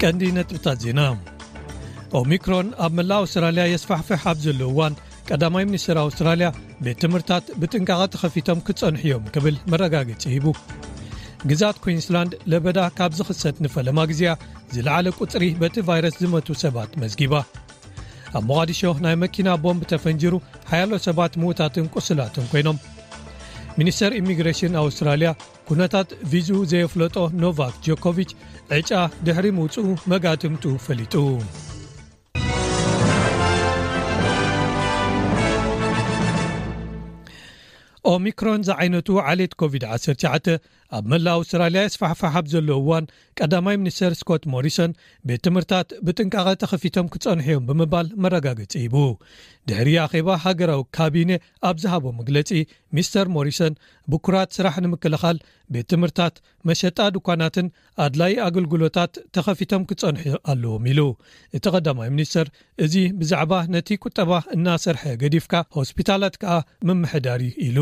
ቀንዲ ነጥብታት ዜና። ኦሚክሮን ኣብ መላእ ኣውስትራልያ የስፋሕፍሕ ኣብ ዘሎ እዋን፣ ቀዳማይ ሚኒስትር ኣውስትራልያ ቤት ትምህርታት ብጥንቃቐ ተኸፊቶም ክጸንሑ እዮም ክብል መረጋገጺ ሂቡ። ግዛት ኩዊንስላንድ ለበዳ ካብ ዝኽሰት ንፈለማ ግዜያ ዝለዓለ ቁጽሪ በቲ ቫይረስ ዝመቱ ሰባት መዝጊባ። ኣብ ሞቓዲሾ ናይ መኪና ቦምብ ተፈንጂሩ ሓያሎ ሰባት ምዉታትን ቁስላትን ኮይኖም። ሚኒስተር ኢሚግሬሽን ኣውስትራልያ ኩነታት ቪዝኡ ዘየፍለጦ ኖቫክ ጆኮቪች ዕጫ ድሕሪ ምውፅኡ መጋትምቱ ፈሊጡ። ኦሚክሮን ዝዓይነቱ ዓሌት ኮቪድ ዓሰርተ ትሽዓተ ኣብ መላእ ኣውስትራልያ የስፋሕፋሕ ኣብ ዘሎ እዋን፣ ቀዳማይ ሚኒስተር ስኮት ሞሪሰን ቤት ትምህርታት ብጥንቃቐ ተኸፊቶም ክጸንሑ እዮም ብምባል መረጋገጺ ሂቡ። ድሕሪ ኣኼባ ሃገራዊ ካቢነ ኣብ ዝሃቦ መግለጺ፣ ሚስተር ሞሪሰን ብኩራት ስራሕ ንምክልኻል ቤት ትምህርታት፣ መሸጣ ድኳናትን ኣድላይ ኣገልግሎታት ተኸፊቶም ክጸንሑ ኣለዎም ኢሉ። እቲ ቀዳማይ ሚኒስተር እዚ ብዛዕባ ነቲ ቁጠባ እናሰርሐ ገዲፍካ ሆስፒታላት ከኣ ምምሕዳር እዩ ኢሉ።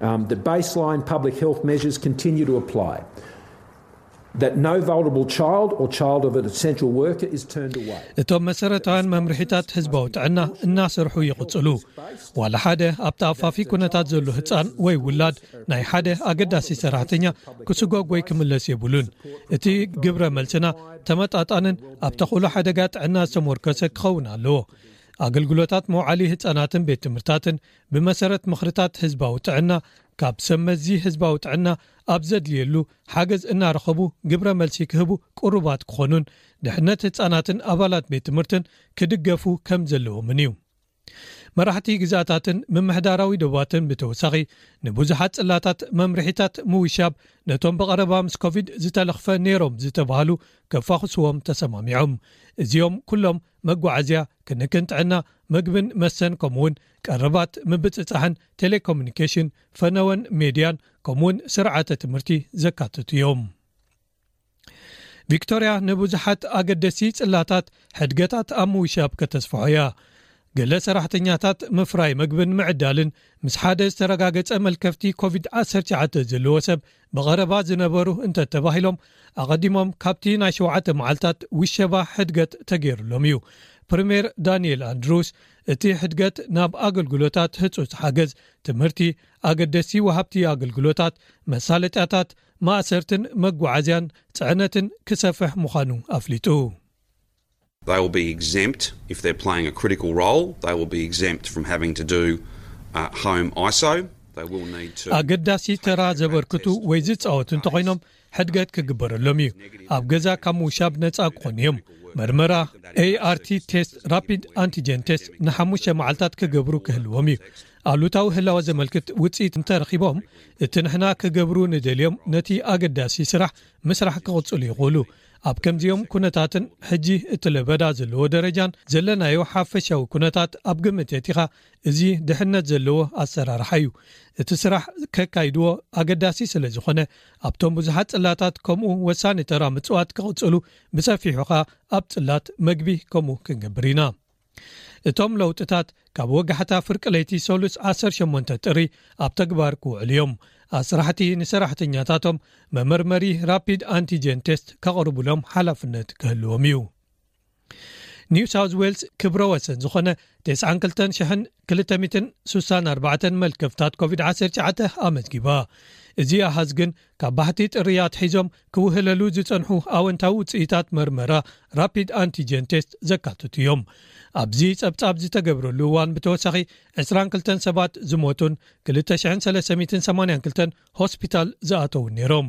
Um, the baseline public health measures continue to apply. That no vulnerable child or child of an essential worker is turned away. እቶም መሰረታውያን መምርሒታት ህዝባዊ ጥዕና እናሰርሑ ይቕጽሉ። ዋላ ሓደ ኣብ ተኣፋፊ ኩነታት ዘሎ ህጻን ወይ ውላድ ናይ ሓደ ኣገዳሲ ሰራሕተኛ ክስጎግ ወይ ክምለስ የብሉን። እቲ ግብረ መልስና ተመጣጣንን ኣብ ተኽእሎ ሓደጋ ጥዕና ዝተመርኮሰ ክኸውን ኣለዎ። ኣገልግሎታት መውዓሊ ህጻናትን ቤት ትምህርታትን ብመሰረት ምኽርታት ህዝባዊ ጥዕና ካብ ሰብ መዚ ህዝባዊ ጥዕና ኣብ ዘድልየሉ ሓገዝ እናረኸቡ ግብረ መልሲ ክህቡ ቅሩባት ክኾኑን ድሕነት ህጻናትን ኣባላት ቤት ትምህርትን ክድገፉ ከም ዘለዎምን እዩ። መራሕቲ ግዛታትን ምምሕዳራዊ ዶባትን ብተወሳኺ ንብዙሓት ጽላታት መምርሒታት ምውሻብ ነቶም ብቐረባ ምስ ኮቪድ ዝተለኽፈ ነይሮም ዝተባህሉ ከፋኹስዎም ተሰማሚዖም። እዚኦም ኩሎም መጓዓዝያ፣ ክንክን ጥዕና፣ ምግብን መስተን ከምኡውን ቀረባት ምብጽጻሕን ቴሌኮሙኒኬሽን፣ ፈነወን ሜድያን ከምኡውን ስርዓተ ትምህርቲ ዘካትቱ እዮም። ቪክቶርያ ንብዙሓት ኣገደሲ ጽላታት ሕድገታት ኣብ ምውሻብ ከተስፍሖ እያ። ገለ ሰራሕተኛታት ምፍራይ መግብን ምዕዳልን ምስ ሓደ ዝተረጋገጸ መልከፍቲ ኮቪድ ዓሰርተ ትሽዓተ ዘለዎ ሰብ ብቐረባ ዝነበሩ እንተተባሂሎም ኣቐዲሞም ካብቲ ናይ ሸውዓተ መዓልታት ውሸባ ሕድገት ተገይሩሎም እዩ። ፕሪምየር ዳንኤል ኣንድሩስ እቲ ሕድገት ናብ ኣገልግሎታት ህጹጽ ሓገዝ፣ ትምህርቲ፣ ኣገደሲ ወሃብቲ ኣገልግሎታት፣ መሳለጥያታት፣ ማእሰርትን መጓዓዝያን ጽዕነትን ክሰፍሕ ምዃኑ ኣፍሊጡ። They will be exempt if they're playing a critical role. They will be exempt from having to do uh, home I S O. They will need to. ኣገዳሲ ተራ ዘበርክቱ ወይ ዝጻወቱ እንተኾይኖም ሕድገት ክግበረሎም እዩ። ኣብ ገዛ ካብ ምውሻብ ነጻ ክኾኑ እዮም። መርመራ ኤ ኣር ቲ ቴስት፣ ራፒድ ኣንቲጀን ቴስት ንሓሙሽተ መዓልታት ክገብሩ ክህልዎም እዩ። ኣሉታዊ ህላወ ዘመልክት ውጽኢት እንተረኺቦም፣ እቲ ንሕና ክገብሩ ንደልዮም ነቲ ኣገዳሲ ስራሕ ምስራሕ ክቕጽሉ ይኽእሉ። ኣብ ከምዚኦም ኩነታትን ሕጂ እቲ ለበዳ ዘለዎ ደረጃን ዘለናዮ ሓፈሻዊ ኩነታት ኣብ ግምት የእቲኻ፣ እዚ ድሕነት ዘለዎ ኣሰራርሓ እዩ። እቲ ስራሕ ከካይድዎ ኣገዳሲ ስለ ዝኾነ፣ ኣብቶም ብዙሓት ጽላታት ከምኡ ወሳኒ ተራ ምጽዋት ክቕጽሉ፣ ብሰፊሑ ኸኣ ኣብ ጽላት መግቢ ከምኡ ክንገብር ኢና። እቶም ለውጥታት ካብ ወጋሕታ ፍርቂ ለይቲ ሰሉስ ዓሰርተ ሸሞንተ ጥሪ ኣብ ተግባር ክውዕሉ እዮም። ኣስራሕቲ ንሰራሕተኛታቶም መመርመሪ ራፒድ ኣንቲጀን ቴስት ከቕርቡሎም ሓላፍነት ክህልዎም እዩ። ኒው ሳውዝ ዌልስ ክብረ ወሰን ዝኾነ ተስዓን ክልተን ሽሕን ክልተ ሚእትን ስሳን ኣርባዕተን መልከፍታት ኮቪድ ዓሰርተ ትሽዓተ ኣመዝጊባ። እዚ ኣሃዝ ግን ካብ ባሕቲ ጥሪ ኣትሒዞም ክውህለሉ ዝጸንሑ ኣወንታዊ ውጽኢታት መርመራ ራፒድ ኣንቲጀን ቴስት ዘካትቱ እዮም። ኣብዚ ጸብጻብ ዝተገብረሉ እዋን ብተወሳኺ ዕስራን ክልተን ሰባት ዝሞቱን ክልተ ሽሕን ሰለስተ ሚእትን ሰማንያን ክልተን ሆስፒታል ዝኣተውን ነይሮም።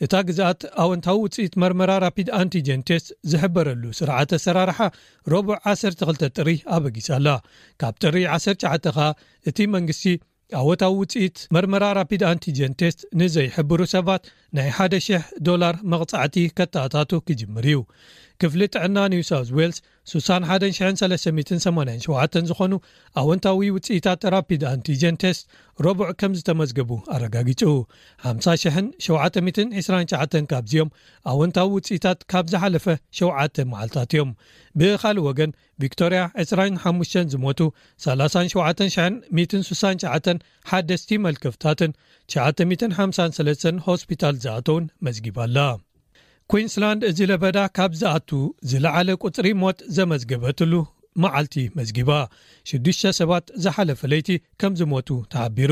እታ ግዝኣት ኣወንታዊ ውጽኢት መርመራ ራፒድ ኣንቲጀን ቴስት ዝሕበረሉ ስርዓተ ኣሰራርሓ ረቡዕ ዓሰርተ ክልተ ጥሪ ኣበጊሳ ኣላ። ካብ ጥሪ ዓሰርተ ትሽዓተ ኸኣ እቲ መንግስቲ ኣወንታዊ ውጽኢት መርመራ ራፒድ ኣንቲጀን ቴስት ንዘይሕብሩ ሰባት ናይ ሓደ ሽሕ ዶላር መቕጻዕቲ ከተኣታቱ ክጅምር እዩ። ክፍሊ ጥዕና ኒው ሳውዝ ዌልስ ስሳን ሓደን ሽሕን ሰለስተ ሚእትን ሰማንያን ሸውዓተን ዝኾኑ ኣወንታዊ ውጽኢታት ራፒድ ኣንቲጀን ቴስት ረቡዕ ከም ዝተመዝገቡ ኣረጋጊጹ። ሓምሳ ሽሕን ሸውዓተ ሚእትን ዕስራን ትሽዓተን ካብዚኦም ኣወንታዊ ውጽኢታት ካብ ዝሓለፈ ሸውዓተ መዓልታት እዮም። ብኻልእ ወገን ቪክቶርያ ዕስራን ሓሙሽተን ዝሞቱ፣ ሰላሳን ሸውዓተን ሽሕን ሚእትን ስሳን ትሽዓተን ሓደስቲ መልከፍታትን ትሽዓተ ሚእትን ሓምሳን ሰለስተን ሆስፒታል ዝኣተውን መዝጊባ ኣላ። ኩንስላንድ እዚ ለበዳ ካብ ዝኣቱ ዝለዓለ ቁጽሪ ሞት ዘመዝገበትሉ መዓልቲ መዝጊባ። ሽዱሽተ ሰባት ዝሓለፈ ለይቲ ከም ዝሞቱ ተሓቢሩ።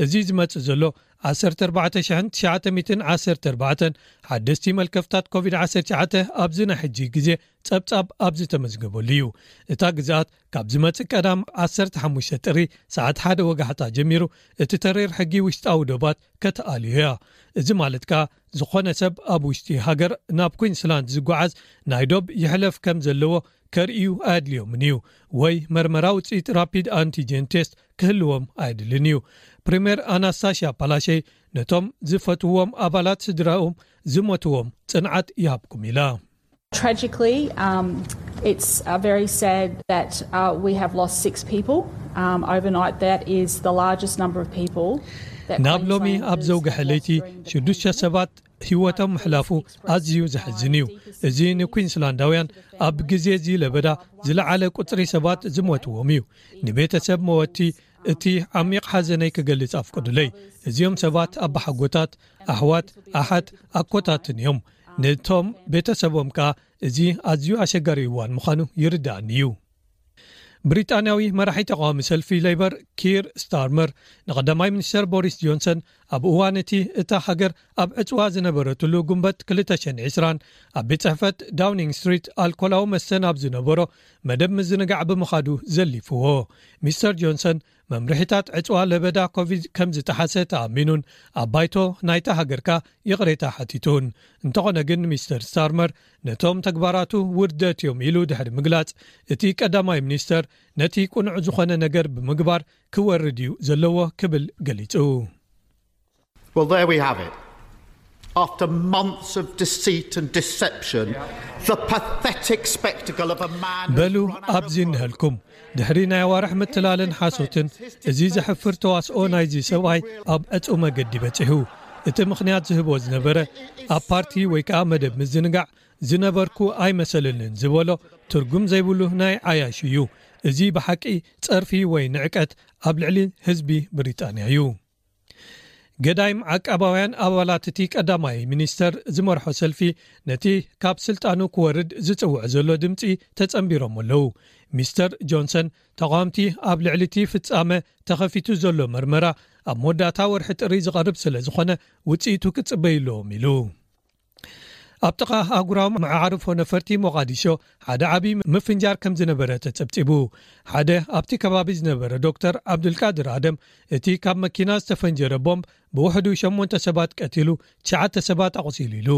እዚ ዝመጽእ ዘሎ ዓሰርተ ኣርባዕተ ሽሕን ትሽዓተ ሚእትን ዓሰርተ ኣርባዕተን ሓደስቲ መልከፍታት ኮቪድ ዓሰርተ ትሽዓተ ኣብዚ ናይ ሕጂ ግዜ ጸብጻብ ኣብ ዝተመዝገበሉ እዩ። እታ ግዝኣት ካብ ዝመጽእ ቀዳም ዓሰርተ ሓሙሽተ ጥሪ ሰዓት ሓደ ወጋሕታ ጀሚሩ እቲ ተሪር ሕጊ ውሽጣዊ ዶባት ከተኣልዮ እያ። እዚ ማለት ከኣ ዝኾነ ሰብ ኣብ ውሽጢ ሃገር ናብ ኩንስላንድ ዝጓዓዝ ናይ ዶብ ይሕለፍ ከም ዘለዎ ከርእዩ ኣየድልዮምን እዩ፣ ወይ መርመራ ውጽኢት ራፒድ ኣንቲጀን ቴስት ክህልዎም ኣየድልን እዩ። ፕሪምየር ኣናስታሽያ ፓላሸይ ነቶም ዝፈትዎም ኣባላት ስድራኦም ዝሞትዎም ጽንዓት ይሃብኩም ኢላ። Tragically, um, it's uh, very sad that uh, we have lost six people um, overnight. That is the largest number of people. That ናብ ሎሚ Queenslanders ኣብ ዘውግሐ have ለይቲ lost during the ሽዱሽተ ሰባት ህይወቶም ምሕላፉ ኣዝዩ ዘሕዝን እዩ። እዚ ንኩንስላንዳውያን ኣብ ግዜ እዚ ለበዳ ዝለዓለ ቁጽሪ ሰባት ዝሞትዎም እዩ። ንቤተሰብ መወቲ እቲ ዓሚቕ ሓዘነይ ክገልጽ ኣፍቅዱለይ። እዚኦም ሰባት ኣባሓጎታት፣ ኣሕዋት፣ ኣሓት፣ ኣኮታትን እዮም። ነቶም ቤተሰቦም ከኣ እዚ ኣዝዩ ኣሸጋሪ እዋን ምዃኑ ይርዳእኒ እዩ። ብሪጣንያዊ መራሒ ተቃዋሚ ሰልፊ ሌበር ኪር ስታርመር ንቀዳማይ ሚኒስተር ቦሪስ ጆንሰን ኣብ እዋን እቲ እታ ሃገር ኣብ ዕጽዋ ዝነበረትሉ ጉንበት ክልተ ሽሕን ዕስራን ኣብ ቤት ጽሕፈት ዳውኒንግ ስትሪት ኣልኮላዊ መስተ ናብ ዝነበሮ መደብ ምዝንጋዕ ብምኻዱ ዘሊፍዎ። ሚስተር ጆንሰን መምርሒታት ዕጽዋ ለበዳ ኮቪድ ከም ዝጠሓሰ ተኣሚኑን ኣብ ባይቶ ናይታ ሃገርካ ይቕሬታ ሓቲቱን። እንተኾነ ግን ሚስተር ስታርመር ነቶም ተግባራቱ ውርደት እዮም ኢሉ ድሕሪ ምግላጽ እቲ ቀዳማይ ሚኒስተር ነቲ ቅኑዕ ዝኾነ ነገር ብምግባር ክወርድ እዩ ዘለዎ ክብል ገሊጹ። Well, there we have it. After months of deceit and deception, the pathetic spectacle of a man who's በሉ run out of ኣብዚ እንሀልኩም ድሕሪ ናይ ኣዋርሕ ምትላልን ሓሶትን እዚ ዘሕፍር ተዋስኦ ናይዚ ሰብኣይ ኣብ ዕጹ መገዲ በጺሑ። እቲ ምኽንያት ዝህቦ ዝነበረ ኣብ ፓርቲ ወይ ከዓ መደብ ምዝንጋዕ ዝነበርኩ ኣይመሰልንን ዝበሎ ትርጉም ዘይብሉ ናይ ዓያሹ እዩ። እዚ ብሓቂ ጸርፊ ወይ ንዕቀት ኣብ ልዕሊ ህዝቢ ብሪጣንያ እዩ። ገዳይም ዓቃባውያን ኣባላት እቲ ቀዳማይ ሚኒስተር ዝመርሖ ሰልፊ ነቲ ካብ ስልጣኑ ክወርድ ዝጽውዕ ዘሎ ድምጺ ተጸንቢሮም ኣለዉ። ሚስተር ጆንሰን ተቓወምቲ ኣብ ልዕሊ እቲ ፍጻመ ተኸፊቱ ዘሎ መርመራ ኣብ መወዳእታ ወርሒ ጥሪ ዝቐርብ ስለ ዝኾነ ውጽኢቱ ክጽበዩ ኣለዎም ኢሉ። ኣብ ጥቓ ኣህጉራዊ መዓርፎ ነፈርቲ ሞቓዲሾ ሓደ ዓቢ ምፍንጃር ከም ዝነበረ ተጸብጺቡ። ሓደ ኣብቲ ከባቢ ዝነበረ ዶክተር ዓብዱልቃድር ኣደም እቲ ካብ መኪና ዝተፈንጀረ ቦምብ ብውሕዱ ሸሞንተ ሰባት ቀቲሉ ትሽዓተ ሰባት ኣቑሲሉ ኢሉ።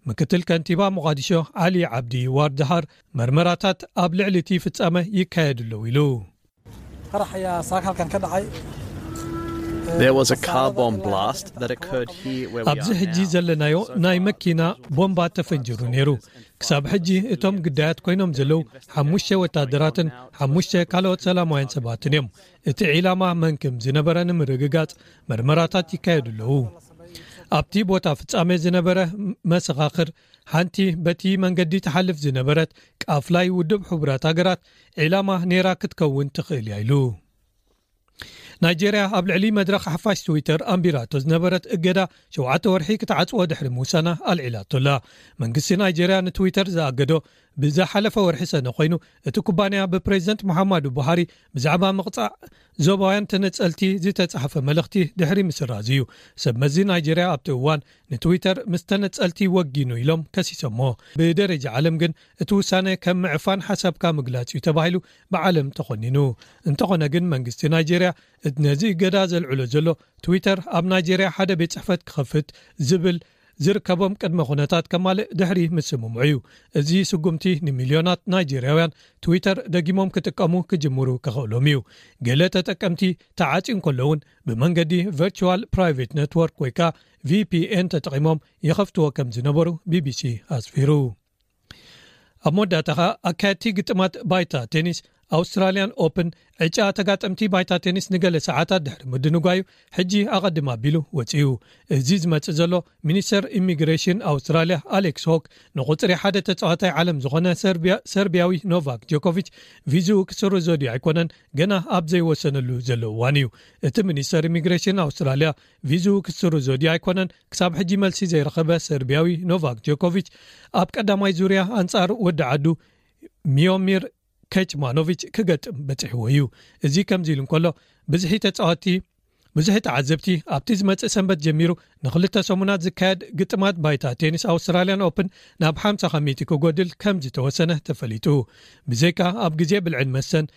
ምክትል ከንቲባ ሞቓዲሾ ዓሊ ዓብዲ ዋርድሃር መርመራታት ኣብ ልዕሊ እቲ ፍጻመ ይካየዱ ኣለዉ ኢሉ። qarax ayaa saaka halkan ka dhacay There was a car bomb blast that occurred here where we ኣብዚ are ሕጂ now. ዘለናዮ ናይ መኪና ቦምባ ተፈንጅሩ ነይሩ። ክሳብ ሕጂ እቶም ግዳያት ኮይኖም ዘለዉ ሓሙሽተ ወታደራትን ሓሙሽተ ካልኦት ሰላማውያን ሰባትን እዮም። እቲ ዒላማ መን ከም ዝነበረ ንምርግጋጽ መርመራታት ይካየዱ ኣለዉ። ኣብቲ ቦታ ፍጻሜ ዝነበረ መሰኻኽር ሓንቲ በቲ መንገዲ ትሓልፍ ዝነበረት ቃፍላይ ውድብ ሕቡራት ሃገራት ዒላማ ነይራ ክትከውን ትኽእል እያ ኢሉ። ናይጄርያ ኣብ ልዕሊ መድረኽ ሓፋሽ ትዊተር ኣንቢራቶ ዝነበረት እገዳ ሸውዓተ ወርሒ ክትዓጽዎ ድሕሪ ምውሳና ኣልዒላቶላ። መንግስቲ ናይጄርያ ንትዊተር ዝኣገዶ ብዝሓለፈ ወርሒ ሰነ ኮይኑ፣ እቲ ኩባንያ ብፕሬዚደንት ሙሓማዱ ቡሃሪ ብዛዕባ ምቕጻዕ ዞባውያን ተነጸልቲ ዝተጻሕፈ መልእኽቲ ድሕሪ ምስራዝ እዩ። ሰብ መዚ ናይጄርያ ኣብቲ እዋን ንትዊተር ምስ ተነጸልቲ ወጊኑ ኢሎም ከሲሶሞ። ብደረጃ ዓለም ግን እቲ ውሳነ ከም ምዕፋን ሓሳብካ ምግላጽ እዩ ተባሂሉ ብዓለም ተኾኒኑ። እንተኾነ ግን መንግስቲ ናይጄርያ ነዚ እገዳ ዘልዕሎ ዘሎ ትዊተር ኣብ ናይጄርያ ሓደ ቤት ጽሕፈት ክኸፍት ዝብል ዝርከቦም ቅድመ ኩነታት ከማልእ ድሕሪ ምስምምዑ እዩ። እዚ ስጉምቲ ንሚልዮናት ናይጄርያውያን ትዊተር ደጊሞም ክጥቀሙ ክጅምሩ ከኽእሎም እዩ። ገለ ተጠቀምቲ ተዓጽዩ እንከሎ እውን ብመንገዲ ቨርቹዋል ፕራይቬት ኔትወርክ ወይ ከዓ ቪፒኤን ተጠቒሞም ይኸፍትዎ ከም ዝነበሩ ቢቢሲ ኣስፊሩ። ኣብ መወዳእታ ኸኣ ኣካየድቲ ግጥማት ባይታ ቴኒስ ኣውስትራልያን ኦፕን ዕጫ ተጋጠምቲ ባይታ ቴኒስ ንገለ ሰዓታት ድሕሪ ምድንጓዩ ሕጂ ኣቐድም ኣቢሉ ወጺኡ። እዚ ዝመጽእ ዘሎ፣ ሚኒስተር ኢሚግሬሽን ኣውስትራልያ ኣሌክስ ሆክ ንቁጽሪ ሓደ ተጻዋታይ ዓለም ዝኾነ ሰርቢያ-፣ ሰርቢያዊ ኖቫክ ጆኮቪች ቪዝኡ ክስርዞ ድዩ ኣይኮነን ገና ኣብ ዘይወሰነሉ ዘሎ እዋን እዩ። እቲ ሚኒስተር ኢሚግሬሽን ኣውስትራልያ ቪዝኡ ክስርዞ ድዩ ኣይኮነን ክሳብ ሕጂ መልሲ ዘይረኸበ ሰርቢያዊ ኖቫክ ጆኮቪች ኣብ ቀዳማይ ዙርያ ኣንጻር ወዲ ዓዱ ሚዮሚር ከችማኖቪች ክገጥም በጺሕዎ እዩ። እዚ ከምዚ ኢሉ እንከሎ፣ ብዝሒ ተጻወትቲ፣ ብዙሒ ተዓዘብቲ ኣብቲ ዝመጽእ ሰንበት ጀሚሩ ንኽልተ ሰሙናት ዝካየድ ግጥማት ባይታ ቴኒስ ኣውስትራልያን ኦፕን ናብ ሓምሳ ካብ ሚእቲ ክጎድል ከም ዝተወሰነ ተፈሊጡ። ብዘይካ ኣብ ግዜ ብልዕን መስተን፣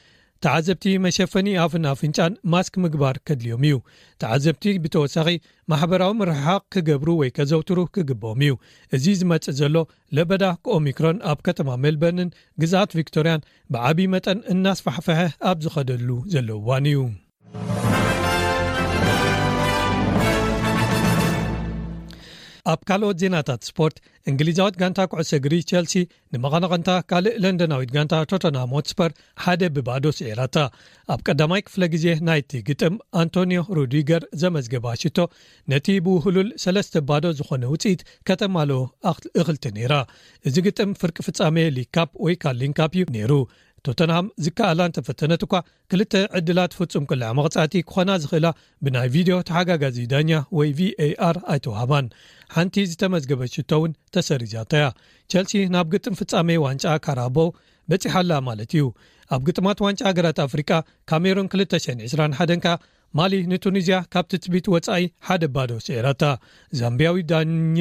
ተዓዘብቲ መሸፈኒ ኣፍን ኣፍንጫን ማስክ ምግባር ከድልዮም እዩ። ተዓዘብቲ ብተወሳኺ ማሕበራዊ ምርሕሓቕ ክገብሩ ወይ ከዘውትሩ ክግብኦም እዩ። እዚ ዝመጽእ ዘሎ ለበዳ ኦሚክሮን ኣብ ከተማ ሜልበርንን ግዝኣት ቪክቶርያን ብዓቢ መጠን እናስፋሕፈሐ ኣብ ዝኸደሉ ዘሎ እዋን እዩ። ኣብ ካልኦት ዜናታት ስፖርት፣ እንግሊዛዊት ጋንታ ኩዕሶ እግሪ ቸልሲ ንመቐናቕንታ ካልእ ለንደናዊት ጋንታ ቶተንሃም ሆትስፐር ሓደ ብባዶ ስዒራታ። ኣብ ቀዳማይ ክፍለ ግዜ ናይቲ ግጥም፣ ኣንቶኒዮ ሩዲገር ዘመዝገባ ሽቶ ነቲ ብውህሉል ሰለስተ ባዶ ዝኾነ ውጽኢት ከተማልኦ ኣኽ-፣ እኽልቲ ነይራ። እዚ ግጥም ፍርቂ ፍጻሜ ሊግ ካፕ ወይ ካሊን ካፕ እዩ ነይሩ። ቶተንሃም ዝከኣላ እንተፈተነት እኳ፣ ክልተ ዕድላት ፍጹም ቅልዕ መቕጻዕቲ ክኾና ዝኽእላ ብናይ ቪድዮ ተሓጋጋዚ ዳኛ ወይ ቪ ኤ ኣር ኣይተዋህባን። ሓንቲ ዝተመዝገበት ሽቶ እውን ተሰሪዛታ እያ። ቸልሲ ናብ ግጥም ፍጻሜ ዋንጫ ካራቦ በጺሓ ኣላ ማለት እዩ። ኣብ ግጥማት ዋንጫ ሃገራት ኣፍሪቃ፣ ካሜሩን ክልተ ሽሕን ዕስራን ሓደን ከኣ ማሊ ንቱኒዝያ ካብ ትጽቢት ወጻኢ ሓደ ባዶ ስዒራታ። ዛምቢያዊ ዳኛ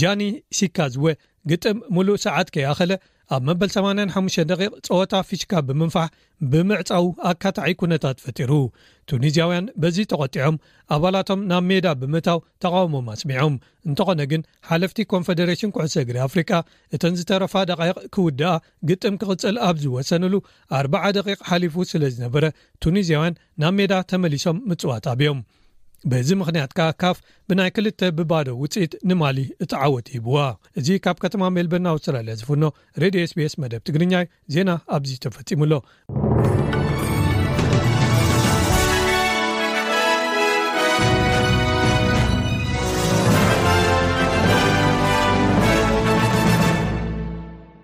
ጃኒ ሲካዝወ ግጥም ሙሉእ ሰዓት ከይኣኸለ ኣብ መበል ሰማንያን ሓሙሽተን ደቂቕ ጸወታ ፊሽካ ብምንፋሕ ብምዕጻው ኣካታዒ ኩነታት ፈጢሩ። ቱኒዝያውያን በዚ ተቖጢዖም ኣባላቶም ናብ ሜዳ ብምእታው ተቓውሞም ኣስሚዖም። እንተኾነ ግን ሓለፍቲ ኮንፈደሬሽን ኩዕሶ እግሪ ኣፍሪቃ እተን ዝተረፋ ደቃይቕ ክውድኣ ግጥም ክቕጽል ኣብ ዝወሰንሉ ኣርብዓ ደቂቕ ሓሊፉ ስለ ዝነበረ ቱኒዝያውያን ናብ ሜዳ ተመሊሶም ምጽዋት ኣብዮም። በዚ ምኽንያት ከኣ ካፍ ብናይ ክልተ ብባዶ ውጽኢት ንማሊ እቲ ዓወት ሂብዋ። እዚ ካብ ከተማ ሜልበርን ኣውስትራልያ ዝፍኖ ሬድዮ ኤስ ቢ ኤስ መደብ ትግርኛ እዩ። ዜና ኣብዚ ተፈጺሙ ኣሎ።